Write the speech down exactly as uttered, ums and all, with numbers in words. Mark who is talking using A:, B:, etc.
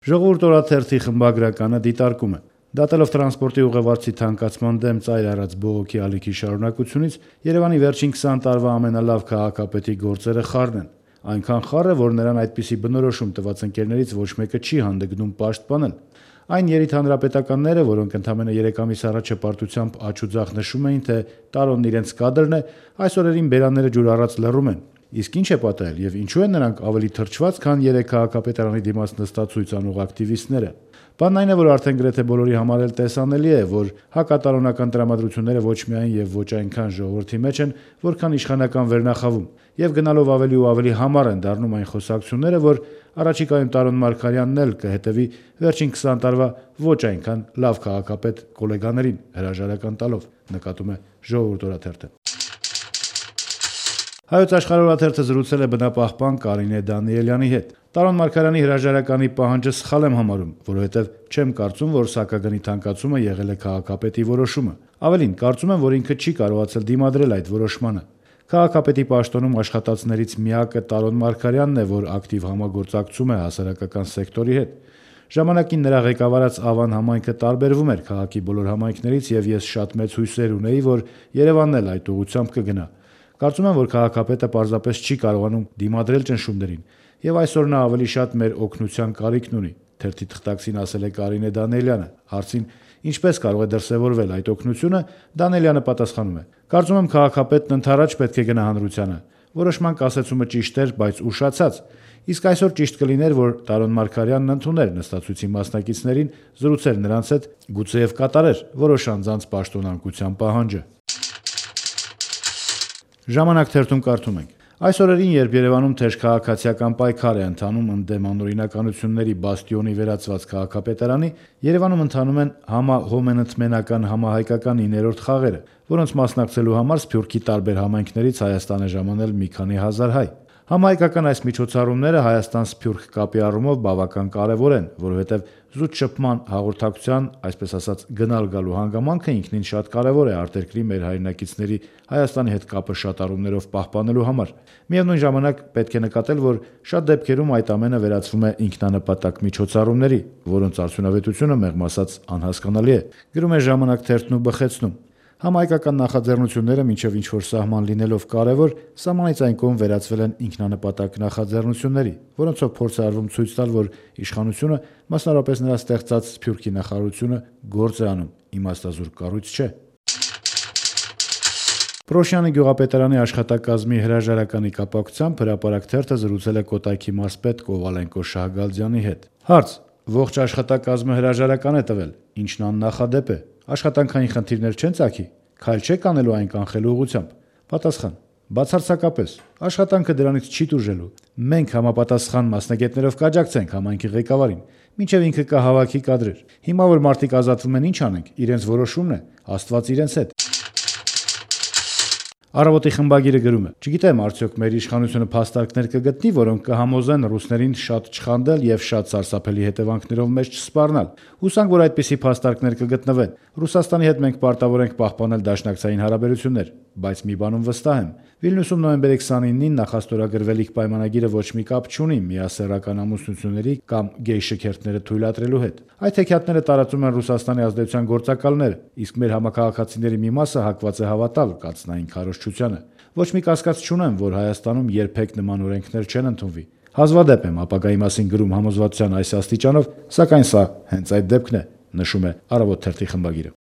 A: Ժողովուրդ օրաթերթի խմբագրականը դիտարկում է. դատելով տրանսպորտի ուղևորցի թանկացման դեմ ծայր արած բողոքի ալիքի շարունակությունից, Երևանի վերջին քսան տարվա ամենալավ քաղաքապետի գործերը խառն են։ Այնքան խառ է, որ նրան այդպիսի բնորոշում տված ընկերներից ոչ մեկը չի հանդգնում պաշտպանել։ Այն երիտհանրապետականները, որոնք ընդամենը երեք ամիս առաջ հպարտությամբ աջ ու ձախ նշում էին, թե տարոնն իրենց կադրն է, այս օրերին բերանները ջուր առած լռում են։ Իսկ ինչ է պատահել եւ ինչու են նրանք ավելի թրջված, քան երեք քաղաքապետարանի դիմաց նստած ցույց անող ակտիվիստները։ Բանն այն է, որ արդեն գրեթե բոլորի համար էլ տեսանելի է, որ հակատարոնական տրամադրությունները ոչ միայն եւ ոչ այնքան ժողովրդի մեջ են, որքան իշխանական վերնախավում, եւ գնալով ավելի ու ավելի համառ են դառնում այն խոսակցությունները, որ առաջիկայում Տարոն Մարգարյանն էլ կհետևի վերջին քսան տարվա ոչ այնքան լավ քաղաքապետ գոլեգաներին հրաժարական տալով, նկատում է Ժողովուրդ օրաթերթը։ Հայոց Աշխարհ օրաթերթը զրուցել է բնապահպան Կարինե Դանիելյանի հետ։ Տարոն Մարգարյանի հրաժարականի պահանջը սխալ եմ համարում, որովհետև չեմ կարծում, որ սակագնի թանկացումը եղել է քաղաքապետի որոշումը։ Ավելին, կարծում եմ, որ ինքը չի կարողացել դիմադրել այդ որոշմանը։ Քաղաքապետի պաշտոնում աշխատածներից միակը Տարոն Մարգարյանն է, որ ակտիվ համագործակցում է հասարակական սեկտորի հետ։ Ժամանակին նրա ղեկավարած Ավան համայնքը տարբերվում էր քաղաքի բոլոր համայնքներից եւ ես շատ մեծ հույսեր ունեի, որ Երևանն էլ այդ ուղղությամբ կգնա։ Կարծում եմ, որ քաղաքապետը պարզապես չի կարողանում դիմադրել ճնշումներին, եւ այսօր նա ավելի շատ մեր օգնության կարիքն ունի, թերթի թղթակցին ասել է Կարինե Դանիելյանը։ Հարցին ինչպես կարող է դրսևորվել այդ օգնությունը, Դանիելյանը պատասխանում է. Կարծում եմ քաղաքապետն ընդառաջ պետք է գնա հանրությանը։ Որոշման կասեցումը ճիշտ էր, բայց ուշացած։ Իսկ այսօր ճիշտ կլիներ, որ Տարոն Մարգարյանն ընդուներ նստածույցի մասնակիցներին, զրուցեր նրանց հետ, գուցեև կատարեր որոշ անձանց պաշտոնանկության պահանջը։ Ժամանակ թերթում կարդում ենք. Այս օրերին, երբ Երևանում թեժ քաղաքացիական պայքար է ընթանում ընդդեմ անօրինականությունների բաստիոնի վերածված քաղաքապետարանի, Երևանում ընթանում են համահոմենընդմենական համահայկական իններորդ խաղերը, որոնց մասնակցելու համար Սփյուռքի տարբեր համայնքներից Հայաստան է ժամանել մի քանի հազար հայ։ Համահայկական այս միջոցառումները Հայաստան-Սփյուռք կապի առումով բավական կարևոր են, որովհետև զուտ շփման հաղորդակցության, այսպես ասած, գնալ-գալու հանգամանքը ինքնին շատ կարևոր է արտերկրի մեր հայրենակիցների Հայաստանի հետ կապը շատառումներով պահպանելու համար։ Միևնույն ժամանակ պետք է նկատել, որ շատ դեպքերում այդ ամենը վերածվում է ինքնանպատակ միջոցառումների, որոնց արդյունավետությունը մեղմ ասած անհասկանալի է։ Գրում է Ժամանակ թերթն ու բխեցնում. Համահայկական նախաձեռնությունները մինչև ինչ-որ սահման լինելով կարևոր, սահմանից այն կողմ վերածվել են ինքնանպատակ նախաձեռնությունների, որոնցով փորձ է արվում ցույց տալ, որ իշխանությունը, մասնավորապես նրա ստեղծած Սփյուռքի նախարարությունը, գործ է անում, իմաստազուրկ կառույց չէ։ Պրոշյանի գյուղապետարանի աշխատակազմի հրաժարականի կապակցությամբ Հրապարակ թերթը զրուցել է Կոտայքի մարզպետ Կովալենկո Շահգալդյանի հետ։ Հարց. Ողջ աշխատակազմը հրաժարական է տվել, ինչն աննախադեպ է։ Աշխատանքային խնդիրներ չեն ծագի, քայլ չեք անելու այն կանխելու ուղղությամբ։ Պատասխան. Բացարձակապես, աշխատանքը դրանից չի տուժելու։ Մենք համապատասխան մասնագետներով կաջակցենք համայնքի ղեկավարին, մինչև ինքը կհավաքի կադրեր։ Հիմա որ մարդիկ ազատվում են, ինչ անենք, իրենց որոշումն է, Աստված իրենց հետ։ Առավոտի խմբագիրը գրում է. Չգիտեմ, արդյոք մեր իշխանությունը փաստարկներ կգտնի, որոնք կհամոզեն ռուսներին շատ չխանդել եւ շատ սարսափելի հետևանքներով մեզ չսպառնալ։ Հուսանք, որ այդպիսի փաստարկներ կգտնվեն։ Ռուսաստանի հետ մենք պարտավոր ենք պահպանել դաշնակցային հարաբերություններ, բայց մի բանում վստահ եմ. Վիլնյուսում նոյեմբերի քսանինին նախաստորագրվելիք պայմանագիրը ոչ մի կապ չունի միասեռական ամուսնությունների կամ գեյ շքերթները թույլատրելու հետ։ Այդ հեքիաթները տարածում են Ռուսաստանի ազդեցության գործակալները, իսկ մեր համակարգացիների մի մասը հակված է հավատալ կացնային քարոզչությանը։ Ոչ մի կասկած չունեմ, որ Հայաստանում երբեք նման օրենքներ չեն ընդունվի։ Հազվադեպ եմ ապագայի մասին գրում համոզվածության այս աստիճանով, սակայն սա հենց այդ դեպքն է, նշում է Առավոտ թերթի խմբագիրը։